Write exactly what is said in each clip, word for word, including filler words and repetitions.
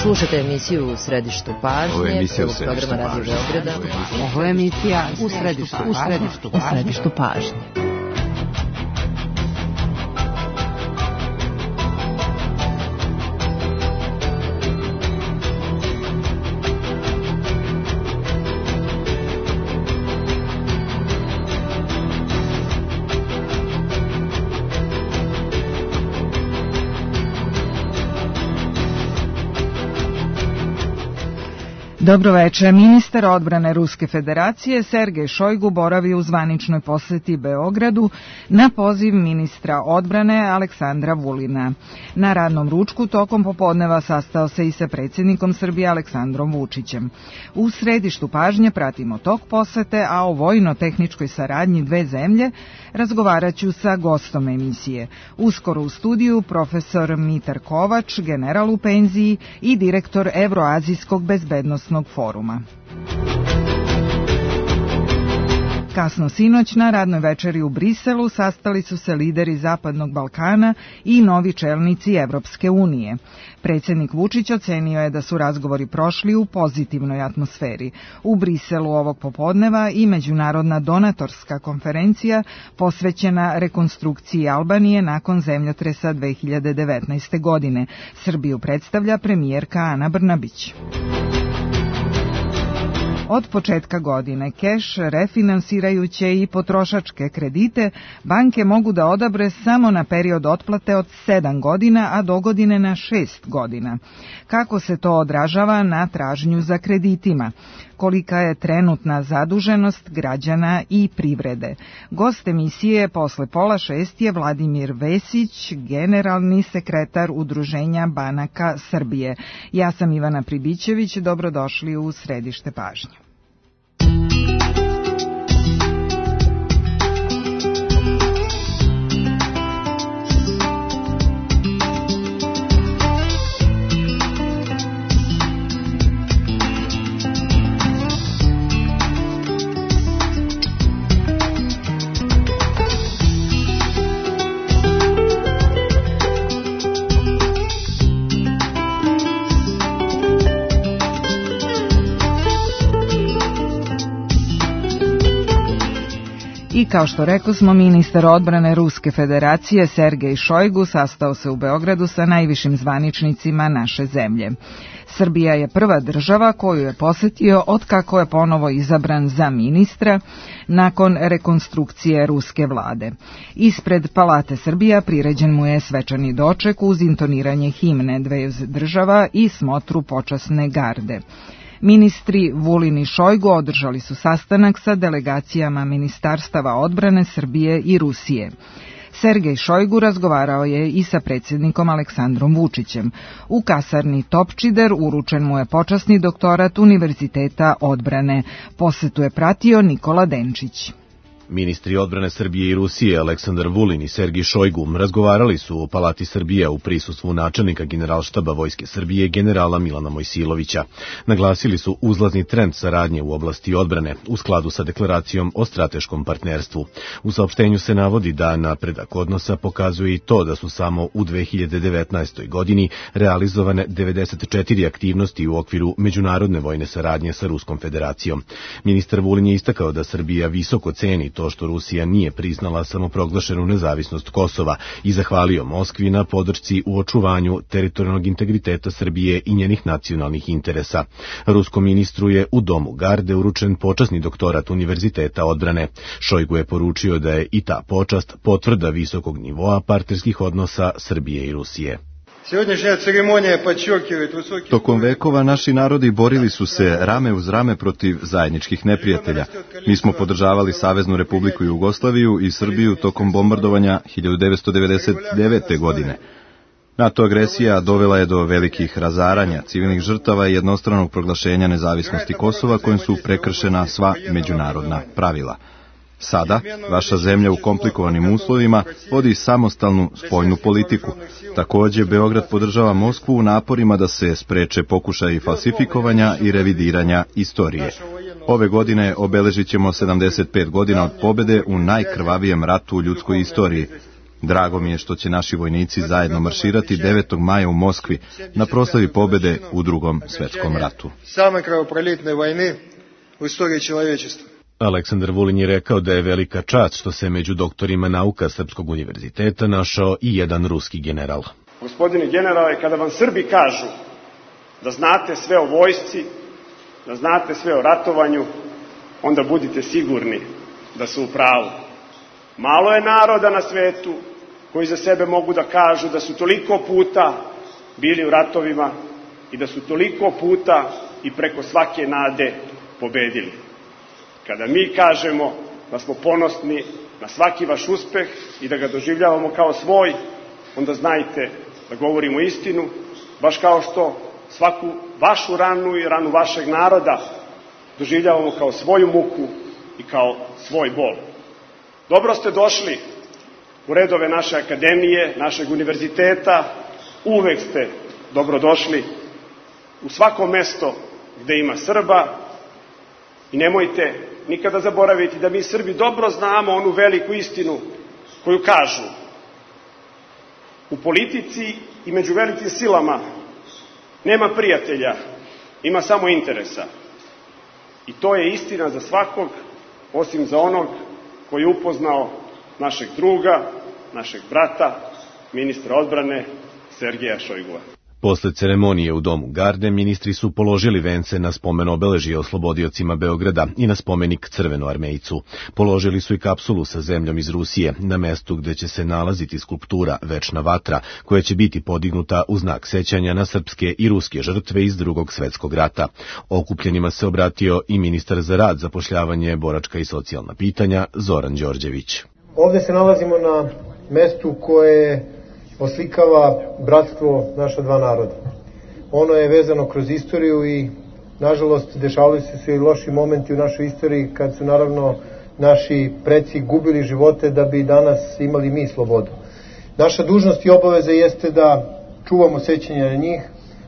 Slušate emisiju U središtu pažnje, prvog programa Radio Beograda. Ovo je emisija U središtu, u središtu, u središtu pažnje. Dobro večer. Ministar odbrane Ruske federacije Sergej Šojgu boravi u zvaničnoj poseti Beogradu na poziv ministra odbrane Aleksandra Vulina. Na radnom ručku tokom popodneva sastao se i sa predsjednikom Srbije Aleksandrom Vučićem. U središtu pažnje pratimo tok posete, a o vojno-tehničkoj saradnji dve zemlje razgovarat ću sa gostom emisije. Uskoro u studiju profesor Mitar Kovač, general u penziji i direktor Evroazijskog bezbednosnog foruma. Kasno sinoć na radnoj večeri u Briselu sastali su se lideri Zapadnog Balkana i novi čelnici Evropske unije. Predsjednik Vučić ocenio je da su razgovori prošli u pozitivnoj atmosferi. U Briselu ovog popodneva i međunarodna donatorska konferencija posvećena rekonstrukciji Albanije nakon zemljotresa dve hiljade devetnaeste. godine. Srbiju predstavlja premijerka Ana Brnabić. Od početka godine keš, refinansirajuće i potrošačke kredite, banke mogu da odabre samo na period otplate od sedam godina, a dogodine na šest godina. Kako se to odražava na tražnju za kreditima? Kolika je trenutna zaduženost građana i privrede? Gost emisije posle pola šest je Vladimir Vesić, generalni sekretar Udruženja banaka Srbije. Ja sam Ivana Pribićević, dobrodošli u središte pažnje. I kao što rekosmo, ministar odbrane Ruske federacije Sergej Šojgu sastao se u Beogradu sa najvišim zvaničnicima naše zemlje. Srbija je prva država koju je posetio otkako je ponovo izabran za ministra nakon rekonstrukcije ruske vlade. Ispred Palate Srbija priređen mu je svečani doček uz intoniranje himne dveju država i smotru počasne garde. Ministri Vulin i Šojgu održali su sastanak sa delegacijama ministarstava odbrane Srbije i Rusije. Sergej Šojgu razgovarao je i sa predsjednikom Aleksandrom Vučićem. U kasarni Topčider uručen mu je počasni doktorat Univerziteta odbrane. Posetu je pratio Nikola Denčić. Ministri odbrane Srbije i Rusije Aleksandar Vulin i Sergej Šojgu razgovarali su u Palati Srbija u prisustvu načelnika Generalštaba Vojske Srbije generala Milana Mojsilovića. Naglasili su uzlazni trend saradnje u oblasti odbrane u skladu sa deklaracijom o strateškom partnerstvu. U saopštenju se navodi da napredak odnosa pokazuje i to da su samo u dve hiljade devetnaestoj. godini realizovane devedeset četiri aktivnosti u okviru međunarodne vojne saradnje sa Ruskom federacijom. Ministar Vulin je istakao da Srbija visoko ceni to što Rusija nije priznala samoproglašenu nezavisnost Kosova i zahvalio Moskvi na podršci u očuvanju teritorijalnog integriteta Srbije i njenih nacionalnih interesa. Ruskom ministru je u Domu garde uručen počasni doktorat Univerziteta odbrane. Šojgu je poručio da je i ta počast potvrda visokog nivoa partnerskih odnosa Srbije i Rusije. Tokom vekova naši narodi borili su se rame uz rame protiv zajedničkih neprijatelja. Mi smo podržavali Saveznu Republiku Jugoslaviju i Srbiju tokom bombardovanja hiljadu devetsto devedeset devete. godine. NATO agresija dovela je do velikih razaranja, civilnih žrtava i jednostranog proglašenja nezavisnosti Kosova kojim su prekršena sva međunarodna pravila. Sada, vaša zemlja u komplikovanim uslovima vodi samostalnu spoljnu politiku. Također, Beograd podržava Moskvu u naporima da se spreče pokušaji falsifikovanja i revidiranja istorije. Ove godine obeležit ćemo sedamdeset pet godina od pobjede u najkrvavijem ratu u ljudskoj istoriji. Drago mi je što će naši vojnici zajedno marširati devetog maja u Moskvi na proslavi pobede u Drugom svetskom ratu. Same krvoprolitne vojne u istoriji čovječestva. Aleksandar Vulin je rekao da je velika čast što se među doktorima nauka Srpskog univerziteta našao i jedan ruski general. Gospodine generale, kada vam Srbi kažu da znate sve o vojsci, da znate sve o ratovanju, onda budite sigurni da su u pravu. Malo je naroda na svetu koji za sebe mogu da kažu da su toliko puta bili u ratovima i da su toliko puta i preko svake nade pobedili. Kada mi kažemo da smo ponosni na svaki vaš uspeh i da ga doživljavamo kao svoj, onda znajte da govorimo istinu, baš kao što svaku vašu ranu i ranu vašeg naroda doživljavamo kao svoju muku i kao svoj bol. Dobro ste došli u redove naše akademije, našeg univerziteta, uvek ste dobrodošli u svako mesto gde ima Srba i nemojte nikada zaboraviti da mi Srbi dobro znamo onu veliku istinu koju kažu: u politici i među velikim silama nema prijatelja, ima samo interesa. I to je istina za svakog, osim za onog koji je upoznao našeg druga, našeg brata, ministra odbrane Sergeja Šojgua. Posle ceremonije u Domu Garde, ministri su položili vence na spomen obeležja oslobodiocima Beograda i na spomenik Crvenoarmejcu. Položili su i kapsulu sa zemljom iz Rusije, na mestu gde će se nalaziti skulptura Večna vatra, koja će biti podignuta u znak sećanja na srpske i ruske žrtve iz Drugog svetskog rata. Okupljenima se obratio i ministar za rad, zapošljavanje, boračka i socijalna pitanja Zoran Đorđević. Ovde se nalazimo na mestu koje oslikava bratstvo naša dva naroda. Ono je vezano kroz istoriju i, nažalost, dešavali su se i loši momenti u našoj istoriji kad su, naravno, naši preci gubili živote da bi danas imali mi slobodu. Naša dužnost i obaveza jeste da čuvamo sećanje na njih,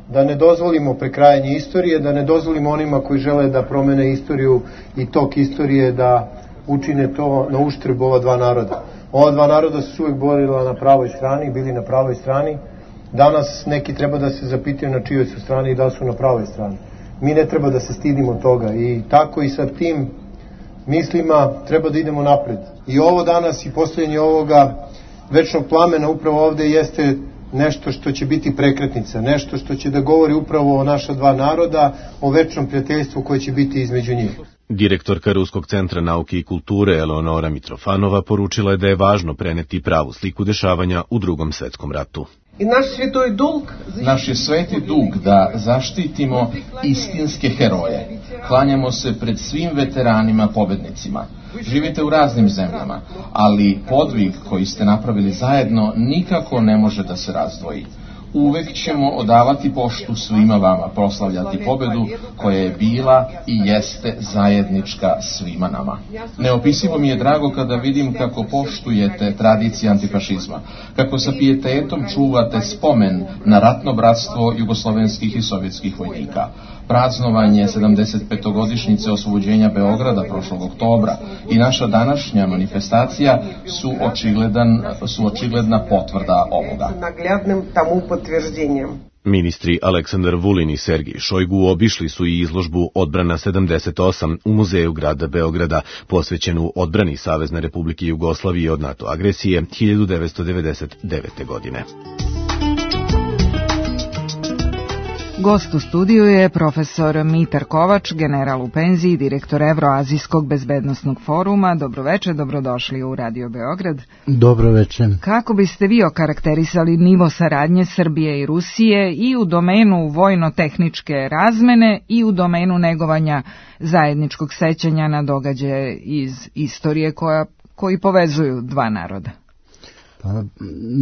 da ne dozvolimo prekrajanje istorije, da ne dozvolimo onima koji žele da promene istoriju i tok istorije da učine to na uštrb ova dva naroda. Ova dva naroda su uvek borila na pravoj strani, bili na pravoj strani. Danas neki treba da se zapitaju na čijoj su strani i da su na pravoj strani. Mi ne treba da se stidimo toga i tako i sa tim mislima treba da idemo napred. I ovo danas i postavljanje ovoga večnog plamena upravo ovde jeste nešto što će biti prekretnica, nešto što će da govori upravo o naša dva naroda, o večnom prijateljstvu koje će biti između njih. Direktorka Ruskog centra nauke i kulture Eleonora Mitrofanova poručila je da je važno preneti pravu sliku dešavanja u Drugom svetskom ratu. I naš sveti dug, naš je sveti dug da zaštitimo istinske heroje. Klanjamo se pred svim veteranima pobednicima. Živite u raznim zemljama, ali podvig koji ste napravili zajedno nikako ne može da se razdvoji. Uvek ćemo odavati poštu svima vama, proslavljati pobedu koja je bila i jeste zajednička svima nama. Neopisivo mi je drago kada vidim kako poštujete tradicije antifašizma, kako sa pijetetom čuvate spomen na ratno bratstvo jugoslovenskih i sovjetskih vojnika. Praznovanje sedamdesetpetogodišnjice oslobođenja Beograda prošlog oktobra i naša današnja manifestacija su očigledan, su očigledna potvrda ovoga. Ministri Aleksandar Vulin i Sergej Šojgu obišli su i izložbu Odbrana sedamdeset osam u Muzeju grada Beograda, posvećenu odbrani Savezne Republike Jugoslavije od NATO agresije hiljadu devetsto devedeset devete. godine. Gost u studiju je profesor Mitar Kovač, general u penziji, direktor Evroazijskog bezbednosnog foruma. Dobroveče, dobrodošli u Radio Beograd. Dobroveče. Kako biste vi okarakterisali nivo saradnje Srbije i Rusije i u domenu vojno-tehničke razmene i u domenu negovanja zajedničkog sećanja na događaje iz istorije koja, koji povezuju dva naroda? Pa,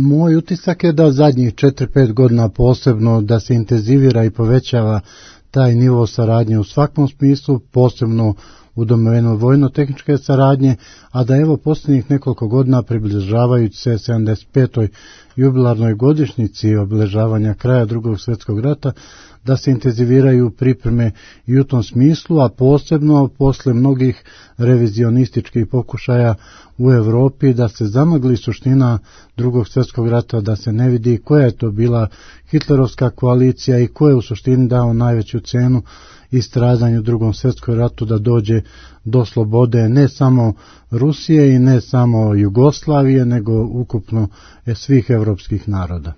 moj utisak je da zadnjih četiri pet godina posebno da se intenzivira i povećava taj nivo saradnje u svakom smislu, posebno u domenu vojno-tehničke saradnje, a da evo posljednjih nekoliko godina približavajući se sedamdeset petoj jubilarnoj godišnjici obilježavanja kraja Drugog svjetskog rata, da se intenziviraju pripreme i u tom smislu, a posebno posle mnogih revizionističkih pokušaja u Evropi da se zamagli suština Drugog svjetskog rata, da se ne vidi koja je to bila hitlerovska koalicija i ko je u suštini dao najveću cenu i stradanju u Drugom svjetskom ratu da dođe do slobode ne samo Rusije i ne samo Jugoslavije, nego ukupno svih evropskih naroda.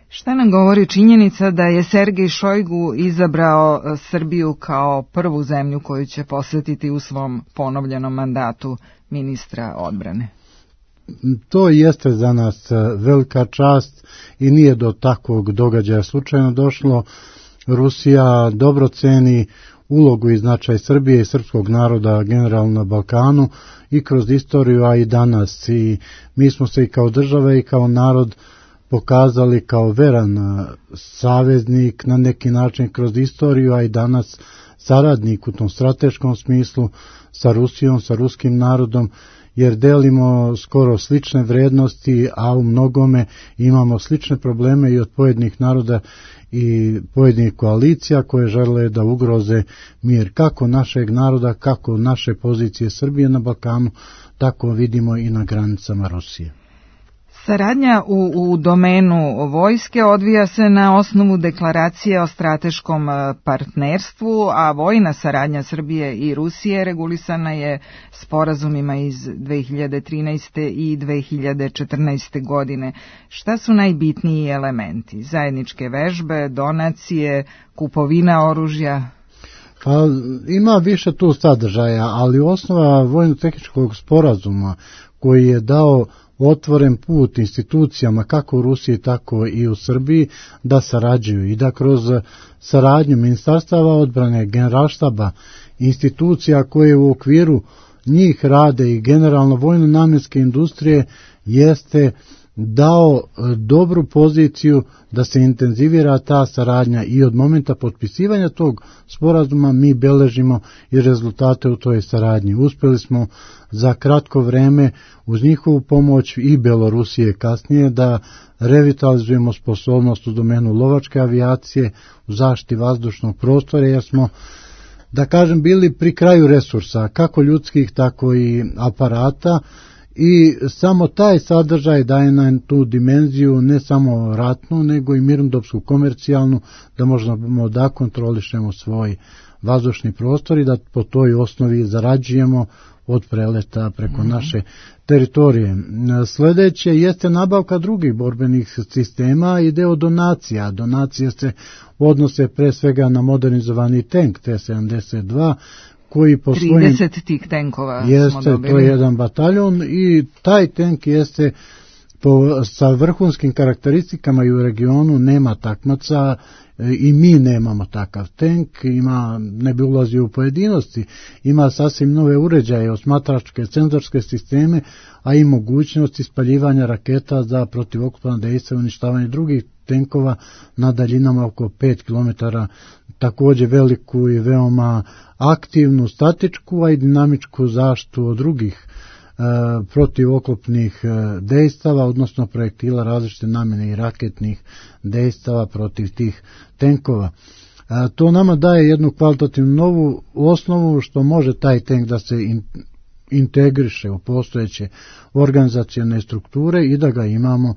Šta nam govori činjenica da je Sergej Šojgu izabrao Srbiju kao prvu zemlju koju će posjetiti u svom ponovljenom mandatu ministra odbrane? To jeste za nas velika čast i nije do takvog događaja slučajno došlo. Rusija dobro ceni ulogu i značaj Srbije i srpskog naroda generalno na Balkanu i kroz istoriju, a i danas. I mi smo se i kao država i kao narod pokazali kao veran saveznik na neki način kroz istoriju, a i danas saradnik u tom strateškom smislu sa Rusijom, sa ruskim narodom, jer delimo skoro slične vrednosti, a u mnogome imamo slične probleme i od pojedinih naroda i pojedinih koalicija koje žele da ugroze mir kako našeg naroda, kako naše pozicije Srbije na Balkanu, tako vidimo i na granicama Rusije. Saradnja u, u domenu vojske odvija se na osnovu deklaracije o strateškom partnerstvu, a vojna saradnja Srbije i Rusije regulisana je sporazumima iz dve hiljade trinaeste i dve hiljade četrnaeste. godine. Šta su najbitniji elementi? Zajedničke vežbe, donacije, kupovina oružja? Pa, ima više tu sadržaja, ali osnova vojno-tehničkog sporazuma koji je dao otvoren put institucijama kako u Rusiji tako i u Srbiji da sarađuju i da kroz saradnju ministarstava odbrane, generalštaba, institucija koje u okviru njih rade i generalno vojno-namjenske industrije jeste dao dobru poziciju da se intenzivira ta saradnja i od momenta potpisivanja tog sporazuma mi beležimo i rezultate u toj saradnji. Uspjeli smo za kratko vreme uz njihovu pomoć i Belorusije kasnije da revitalizujemo sposobnost u domenu lovačke avijacije, u zaštiti vazdušnog prostora, jer smo, da kažem, bili pri kraju resursa, kako ljudskih, tako i aparata, i samo taj sadržaj daje nam tu dimenziju ne samo ratnu, nego i mirnodopsku, komercijalnu, da možemo da kontrolišemo svoj vazdušni prostor i da po toj osnovi zarađujemo od preleta preko mm-hmm. naše teritorije. Sljedeće jeste nabavka drugih borbenih sistema i deo donacija. Donacije se odnose pre svega na modernizovani tank T sedamdeset dva, koji po svojim... trideset tih tenkova jeste, smo dobili. To je jedan bataljon i taj tank jeste po, sa vrhunskim karakteristikama i u regionu nema takmaca i mi nemamo takav tank, ima, ne bi ulazio u pojedinosti, ima sasvim nove uređaje, osmatračke, senzorske sisteme, a i mogućnost ispaljivanja raketa za protivoklopna dejstva i uništavanje drugih tenkova na daljinama oko pet kilometara, također veliku i veoma aktivnu, statičku, a i dinamičku zaštitu od drugih e, protivoklopnih e, dejstava, odnosno projektila različite namjene i raketnih dejstava protiv tih tenkova. E, to nama daje jednu kvalitativnu novu osnovu što može taj tank da se in, integriše u postojeće organizacione strukture i da ga imamo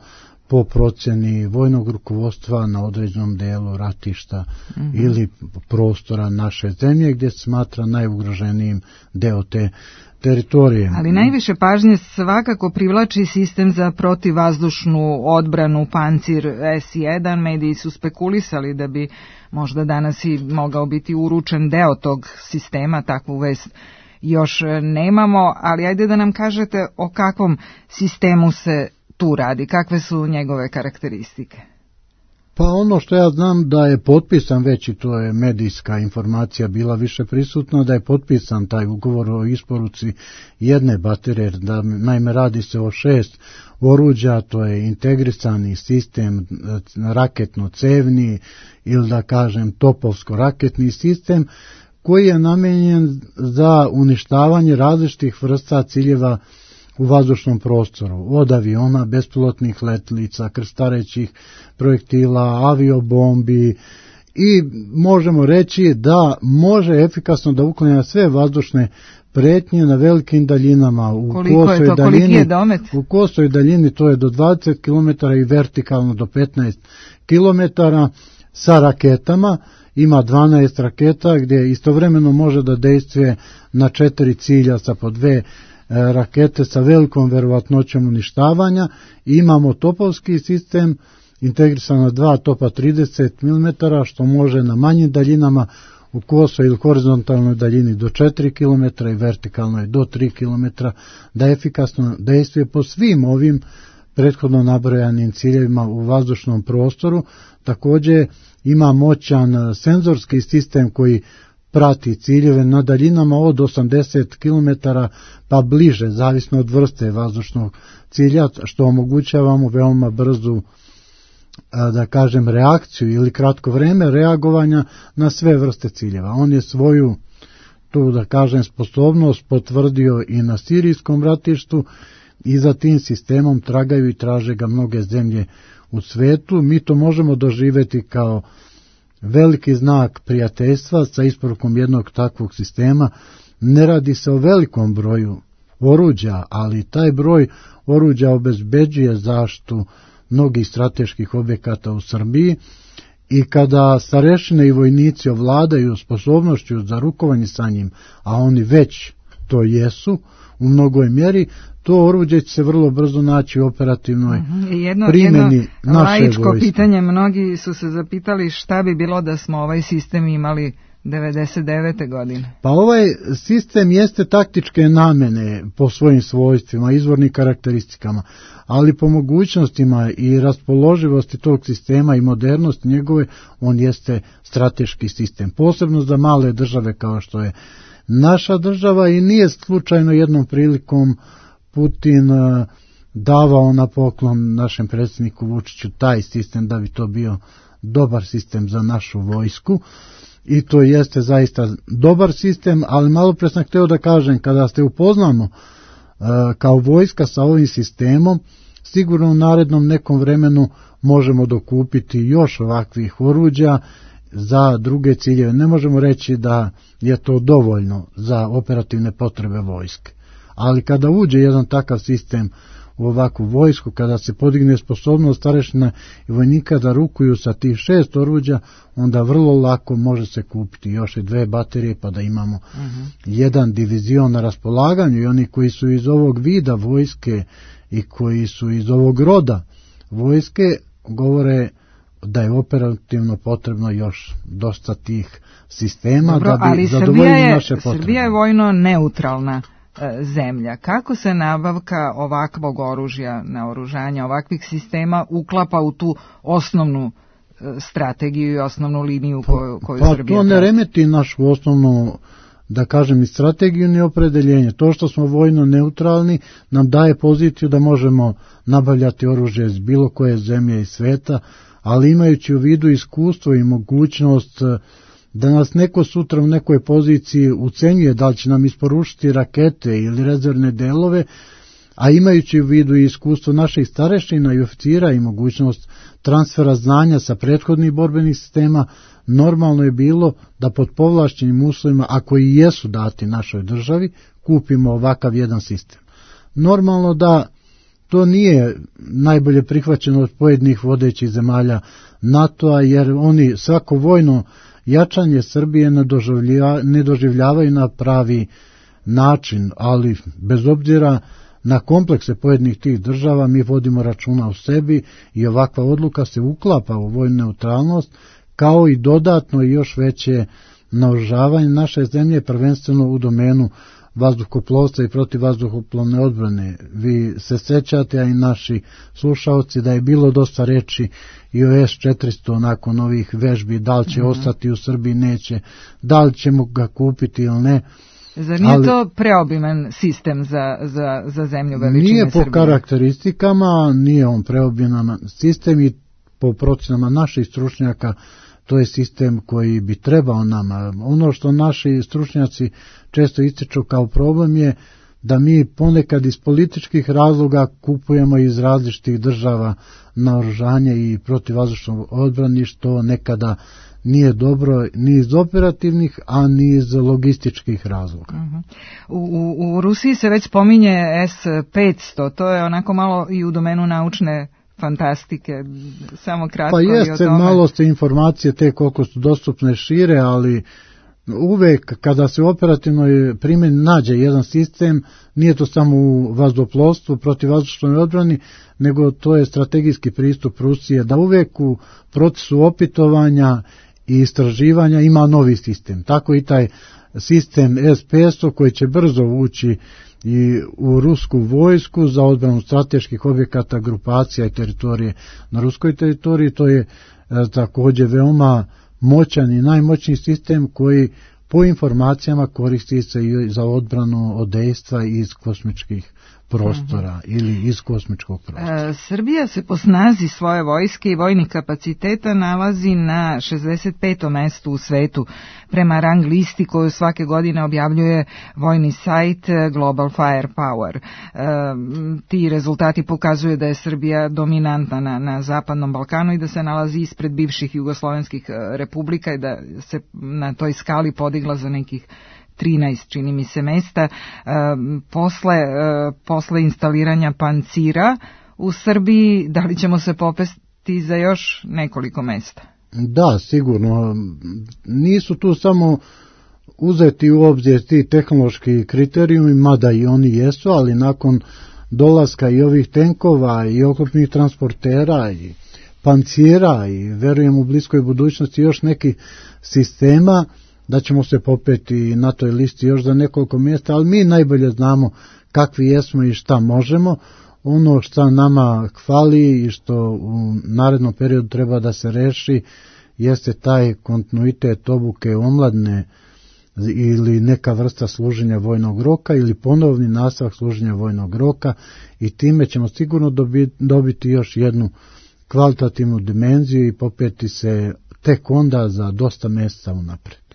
po procjeni vojnog rukovodstva na određenom delu ratišta mm-hmm. ili prostora naše zemlje gdje se smatra najugroženijim deo te teritorije. Ali najviše pažnje svakako privlači sistem za protivvazdušnu odbranu Pancir S jedan. Mediji su spekulisali da bi možda danas i mogao biti uručen deo tog sistema, takvu vest još nemamo, ali ajde da nam kažete o kakvom sistemu se tu radi, kakve su njegove karakteristike? Pa ono što ja znam da je potpisan već, i to je medijska informacija bila više prisutna, da je potpisan taj ugovor o isporuci jedne baterije, da naime radi se o šest oruđa, to je integrisani sistem raketno-cevni ili da kažem topovsko-raketni sistem, koji je namenjen za uništavanje različitih vrsta ciljeva u vazdušnom prostoru, od aviona, bespilotnih letelica, krstarećih projektila, aviobombi, i možemo reći da može efikasno da uklanja sve vazdušne pretnje na velikim daljinama. U Koliko je to? Daljini, koliki je domet? U kosoj daljini to je do dvadeset kilometara i vertikalno do petnaest kilometara sa raketama. Ima dvanaest raketa gdje istovremeno može da dejstvuje na četiri cilja sa po dve rakete sa velikom verovatnoćom uništavanja. Imamo topovski sistem integrisan na dva topa trideset milimetara, što može na manjim daljinama u kosoj ili horizontalnoj daljini do četiri kilometra i vertikalnoj do tri kilometra da efikasno dejstvuje po svim ovim prethodno nabrojanim ciljevima u vazdušnom prostoru. Također ima moćan senzorski sistem koji prati ciljeve na daljinama od osamdeset kilometara pa bliže, zavisno od vrste vazdušnog cilja, što omogućava mu veoma brzu, da kažem, reakciju ili kratko vreme reagovanja na sve vrste ciljeva. On je svoju, tu da kažem, sposobnost potvrdio i na sirijskom ratištu i za tim sistemom tragaju i traže ga mnoge zemlje u svetu. Mi to možemo doživjeti kao veliki znak prijateljstva sa isporukom jednog takvog sistema. Ne radi se o velikom broju oruđa, ali taj broj oruđa obezbeđuje zaštitu mnogih strateških objekata u Srbiji i kada starešine i vojnici ovladaju sposobnošću za rukovanje sa njim, a oni već to jesu u mnogoj mjeri, to oruđe će se vrlo brzo naći u operativnoj jedno, primjeni jedno naše laičko vojske. Pitanje, mnogi su se zapitali šta bi bilo da smo ovaj sistem imali devedeset devete godine. Pa ovaj sistem jeste taktičke namene po svojim svojstvima, izvornim karakteristikama, ali po mogućnostima i raspoloživosti tog sistema i modernosti njegove, on jeste strateški sistem, posebno za male države kao što je naša država. I nije slučajno jednom prilikom Putin davao na poklon našem predsjedniku Vučiću taj sistem da bi to bio dobar sistem za našu vojsku. I to jeste zaista dobar sistem, ali malo pre sam hteo da kažem, kada ste upoznamo uh, kao vojska sa ovim sistemom, sigurno u narednom nekom vremenu možemo dokupiti još ovakvih oruđa za druge ciljeve. Ne možemo reći da je to dovoljno za operativne potrebe vojske, ali kada uđe jedan takav sistem u ovakvu vojsku, kada se podigne sposobnost starešina i vojnika da rukuju sa tih šest oruđa, onda vrlo lako može se kupiti još i dve baterije pa da imamo uh-huh. jedan divizion na raspolaganju. I oni koji su iz ovog vida vojske i koji su iz ovog roda vojske govore da je operativno potrebno još dosta tih sistema. Dobro, da bi zadovoljili naše potrebe. Srbija je vojno neutralna zemlja. Kako se nabavka ovakvog oružja, naoružanja, ovakvih sistema uklapa u tu osnovnu strategiju i osnovnu liniju koju, koju pa, Srbija to ne remeti našu osnovnu, da kažem, i strategiju ni opredeljenje. To što smo vojno neutralni nam daje poziciju da možemo nabavljati oružje iz bilo koje zemlje i sveta, ali imajući u vidu iskustvo i mogućnost da nas neko sutra u nekoj poziciji ucenjuje da li će nam isporučiti rakete ili rezervne delove, a imajući u vidu i iskustvo naših starešina i oficira i mogućnost transfera znanja sa prethodnih borbenih sistema, normalno je bilo da pod povlašćenim uslovima, ako i jesu dati našoj državi, kupimo ovakav jedan sistem. Normalno da to nije najbolje prihvaćeno od pojedinih vodećih zemalja NATO-a, jer oni svako vojno jačanje Srbije ne, doživlja, ne doživljavaju na pravi način, ali bez obzira na komplekse pojedinih tih država mi vodimo računa o sebi i ovakva odluka se uklapa u vojnu neutralnost, kao i dodatno i još veće naoružavanje naše zemlje, prvenstveno u domenu vazduhoplovstva i protivvazduhoplovne odbrane. Vi se sećate, a i naši slušaoci, da je bilo dosta reči i o S četiristo nakon ovih vežbi, da li će mm-hmm. ostati u Srbiji, neće, da li ćemo ga kupiti ili ne. Zar nije ali, to preobiman sistem za, za, za zemlju veličine Srbije? Nije po Srbije. Karakteristikama, nije on preobiman sistem i po procenama naših stručnjaka to je sistem koji bi trebao nama. Ono što naši stručnjaci često ističu kao problem je da mi ponekad iz političkih razloga kupujemo iz različitih država naoružanje i protivvazdušnu odbranu, što nekada nije dobro ni iz operativnih, a ni iz logističkih razloga. Uh-huh. U, u, u Rusiji se već spominje S petsto, to je onako malo i u domenu naučne fantastike, samo kratko pa i o tome. Pa jeste, malo ste informacije te koliko su dostupne šire, ali uvek kada se u operativnoj primjeni nađe jedan sistem, nije to samo u vazduhoplovstvu, protivvazdušnoj odbrani, nego to je strategijski pristup Rusije, da uvek u procesu opitovanja i istraživanja ima novi sistem. Tako i taj sistem S petsto koji će brzo ući i u rusku vojsku za odbranu strateških objekata, grupacija i teritorije na ruskoj teritoriji, to je također veoma moćan i najmoćniji sistem koji po informacijama koristi se i za odbranu od dejstva iz kosmičkih prostora uh-huh. ili iz kosmičkog prostora. E, Srbija se po snazi svoje vojske i vojnih kapaciteta nalazi na šezdeset petom mestu u svetu prema rang listi koju svake godine objavljuje vojni sajt Global Firepower. E, ti rezultati pokazuju da je Srbija dominantna na, na Zapadnom Balkanu i da se nalazi ispred bivših jugoslovenskih republika i da se na toj skali podigla za nekih trinaest, čini mi se, mesta. E, posle, e, posle instaliranja pancira u Srbiji, da li ćemo se popesti za još nekoliko mesta? Da, sigurno. Nisu tu samo uzeti u obzir ti tehnološki kriterijumi, mada i oni jesu, ali nakon dolaska i ovih tenkova i oklopnih transportera i pancira i verujem u bliskoj budućnosti još nekih sistema, da ćemo se popeti na toj listi još za nekoliko mjesta, ali mi najbolje znamo kakvi jesmo i šta možemo. Ono što nama hvali i što u narednom periodu treba da se reši jeste taj kontinuitet obuke omladne ili neka vrsta služenja vojnog roka ili ponovni nastavak služenja vojnog roka i time ćemo sigurno dobiti, dobiti još jednu kvalitativnu dimenziju i popeti se tek onda za dosta mjeseca unaprijed.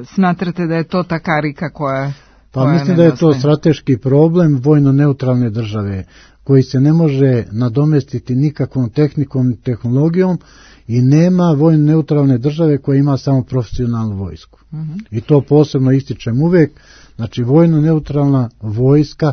Smatrate da je to ta karika koja... Pa koja mislim da je to strateški problem vojno-neutralne države koji se ne može nadomestiti nikakvom tehnikom i tehnologijom i nema vojno-neutralne države koja ima samo profesionalnu vojsku. Uh-huh. I to posebno ističem uvek. Znači vojno-neutralna vojska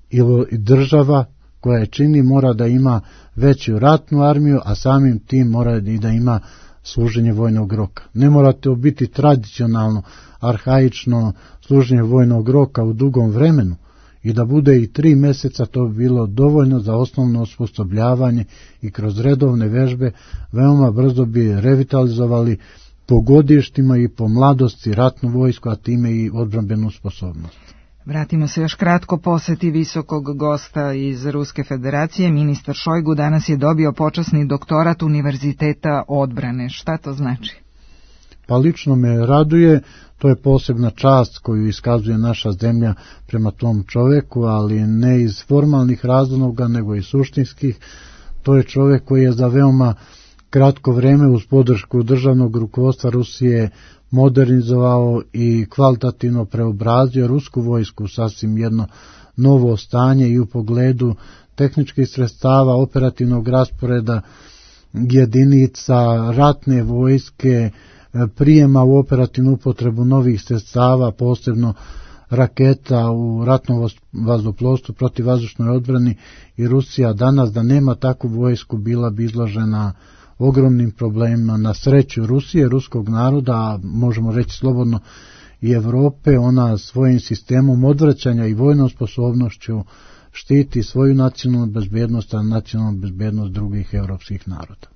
ili država koja je čini mora da ima veću ratnu armiju, a samim tim mora i da ima služenje vojnog roka. Ne morate biti tradicionalno, arhaično služenje vojnog roka u dugom vremenu i da bude i tri mjeseca, to bi bilo dovoljno za osnovno osposobljavanje i kroz redovne vežbe veoma brzo bi revitalizovali po godištima i po mladosti ratnu vojsku, a time i odbrambenu sposobnost. Vratimo se još kratko poseti visokog gosta iz Ruske federacije. Ministar Šojgu danas je dobio počasni doktorat Univerziteta odbrane. Šta to znači? Pa lično me raduje, to je posebna čast koju iskazuje naša zemlja prema tom čoveku, ali ne iz formalnih razloga, nego i suštinskih. To je čovek koji je za veoma kratko vreme uz podršku državnog rukovodstva Rusije modernizovao i kvalitativno preobrazio rusku vojsku sasvim jedno novo stanje i u pogledu tehničkih sredstava, operativnog rasporeda jedinica, ratne vojske, prijema u operativnu upotrebu novih sredstava, posebno raketa u ratnom vazduhoplovstvu, protivvazdušnoj odbrani, i Rusija danas da nema takvu vojsku bila bi izložena ogromnim problemima. Na sreću Rusije, ruskog naroda, a možemo reći slobodno i Evrope, ona svojim sistemom odvraćanja i vojnom sposobnošću štiti svoju nacionalnu bezbednost, a nacionalnu bezbednost drugih evropskih naroda.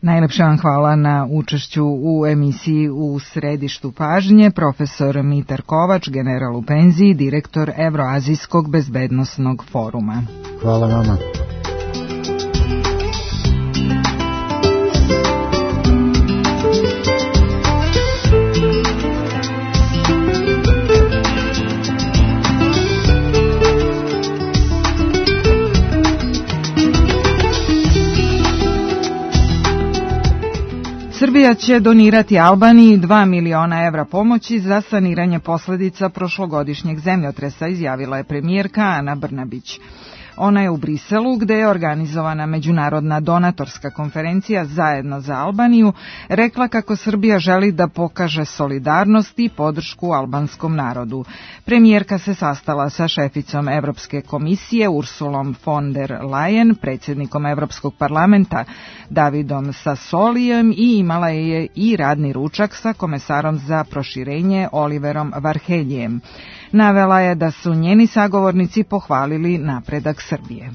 Najlepša vam hvala na učešću u emisiji U središtu pažnje, profesor Mitar Kovač, general u penziji, direktor Evroazijskog bezbednosnog foruma. Hvala vama. Srbija će donirati Albaniji dva miliona evra pomoći za saniranje posledica prošlogodišnjeg zemljotresa, izjavila je premijerka Ana Brnabić. Ona je u Briselu, gde je organizovana međunarodna donatorska konferencija Zajedno za Albaniju, rekla kako Srbija želi da pokaže solidarnost i podršku albanskom narodu. Premijerka se sastala sa šeficom Evropske komisije Ursulom von der Leyen, predsjednikom Evropskog parlamenta Davidom Sassolijem i imala je i radni ručak sa komesarom za proširenje Oliverom Varheljijem. Navela je da su njeni sagovornici pohvalili napredak Srbije.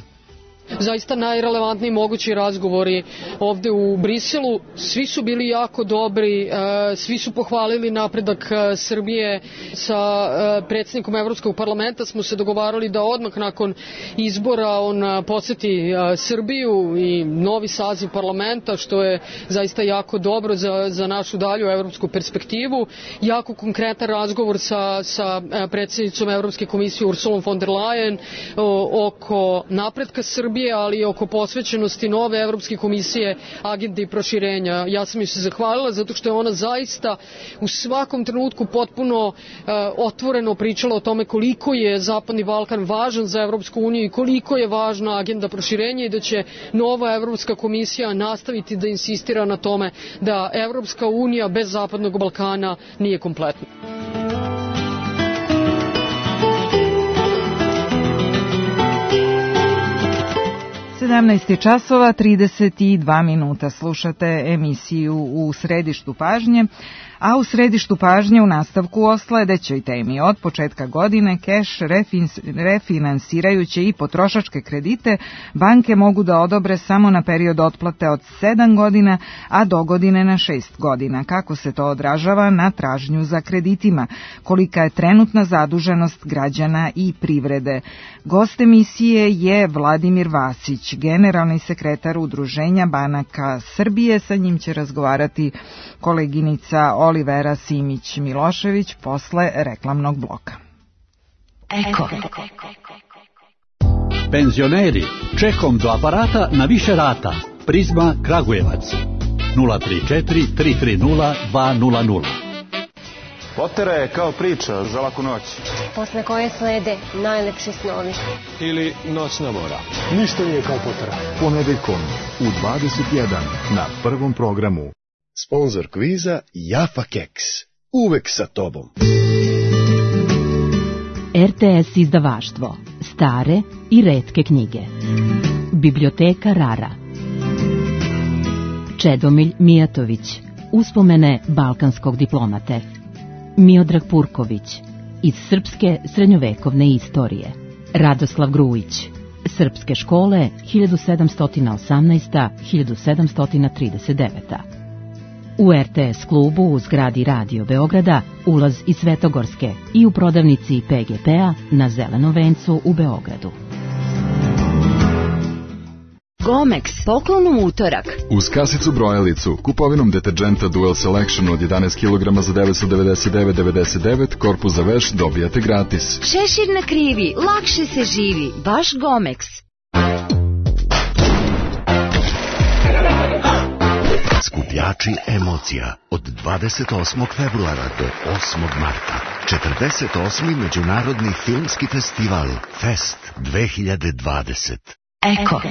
Zaista najrelevantniji mogući razgovori ovde u Briselu, svi su bili jako dobri, svi su pohvalili napredak Srbije. Sa predsjednikom Evropskog parlamenta smo se dogovarali da odmah nakon izbora on poseti Srbiju i novi saziv parlamenta, što je zaista jako dobro za, za našu dalju evropsku perspektivu. Jako konkretan razgovor sa, sa predsjednicom Evropske komisije Ursulom von der Leyen oko napretka Srbije, ali i oko posvećenosti nove Evropske komisije agende i proširenja. Ja sam joj se zahvalila zato što je ona zaista u svakom trenutku potpuno uh, otvoreno pričala o tome koliko je Zapadni Balkan važan za Evropsku uniju i koliko je važna agenda proširenja i da će nova Evropska komisija nastaviti da insistira na tome da Evropska unija bez Zapadnog Balkana nije kompletna. sedamnaest časova trideset dva minuta. Slušate emisiju U središtu pažnje, a u središtu pažnje u nastavku o sledećoj temi. Od početka godine keš refinansirajuće i potrošačke kredite banke mogu da odobre samo na period otplate od sedam godina, a do godine na šest godina. Kako se to odražava na tražnju za kreditima? Kolika je trenutna zaduženost građana i privrede? Gost emisije je Vladimir Vasić, generalni sekretar Udruženja banaka Srbije. Sa njim će razgovarati koleginica Olivera Simić-Milošević posle reklamnog bloka. Eko. Penzioneri, čekom do aparata na više rata. Prizma Kragujevac. nula tri četiri tri tri nula dva nula nula. Potera je kao priča za laku noć. Posle koje slede najlepši snovi. Ili noćna mora. Ništa nije kao Potera. Ponedeljkom u dvadeset jedan na prvom programu. Sponzor kviza Jaffa Keks. Uvek sa tobom. R T S izdavaštvo. Stare i retke knjige. Biblioteka Rara. Čedomilj Mijatović. Uspomene balkanskog diplomate. Miodrag Purković. Iz srpske srednjovekovne istorije. Radoslav Grujić. Srpske škole hiljadu sedamsto osamnaesta do hiljadu sedamsto trideset deveta. U R T S klubu u zgradi Radio Beograda ulaz iz Svetogorske i u prodavnici P G P-a na Zelenom vencu u Beogradu. Gomex, poklon u utorak. Uz kasicu brojalicu, kupovinom deterđenta Dual Selection od jedanaest kilograma za devetsto devedeset devet zarez devedeset devet, korpus za veš dobijate gratis. Šešir na krivi, lakše se živi, baš Gomex. Skupljači emocija od dvadeset osmog februara do osmog marta. četrdeset osmi Međunarodni filmski festival Fest dve hiljade dvadeset. Eko.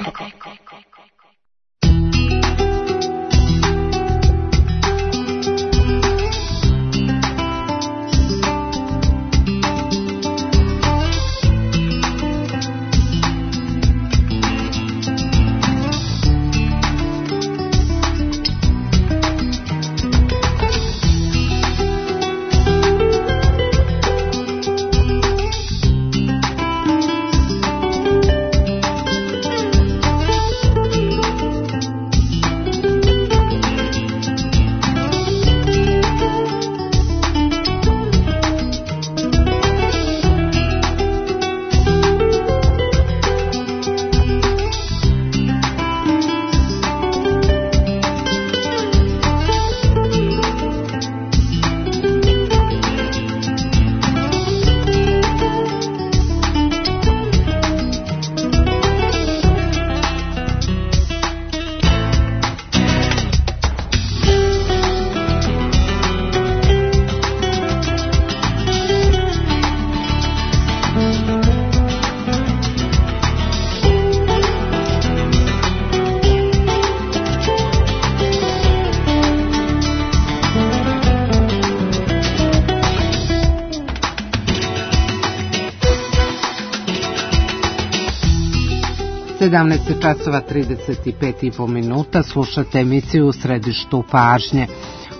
sedamnaest časova trideset pet i po minuta, slušate emisiju U središtu pažnje.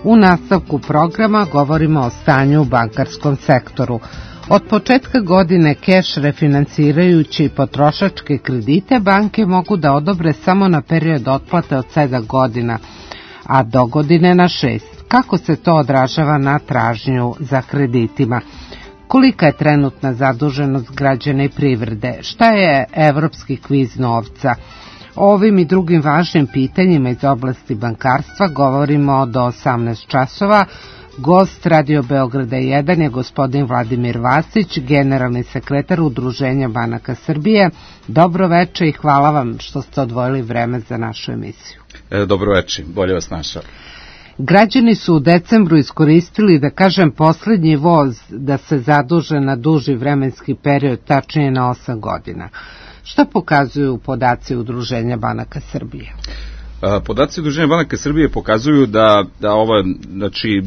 U nastavku programa govorimo o stanju u bankarskom sektoru. Od početka godine keš refinancirajući potrošačke kredite banke mogu da odobre samo na period otplate od sedam godina, a do godine na šest. Kako se to odražava na tražnju za kreditima? Kolika je trenutna zaduženost građana i privrede? Šta je evropski kviz novca? O ovim i drugim važnim pitanjima iz oblasti bankarstva govorimo do osamnaest časova. Gost Radio Beograda jedan je gospodin Vladimir Vasić, generalni sekretar Udruženja banaka Srbije. Dobro veče i hvala vam što ste odvojili vreme za našu emisiju. E, dobro veče, bolje vas našao. Građani su u decembru iskoristili, da kažem, poslednji voz da se zaduže na duži vremenski period, tačnije na osam godina. Šta pokazuju podaci Udruženja banaka Srbije? Podaci Udruženja banaka Srbije pokazuju da, da ova, znači,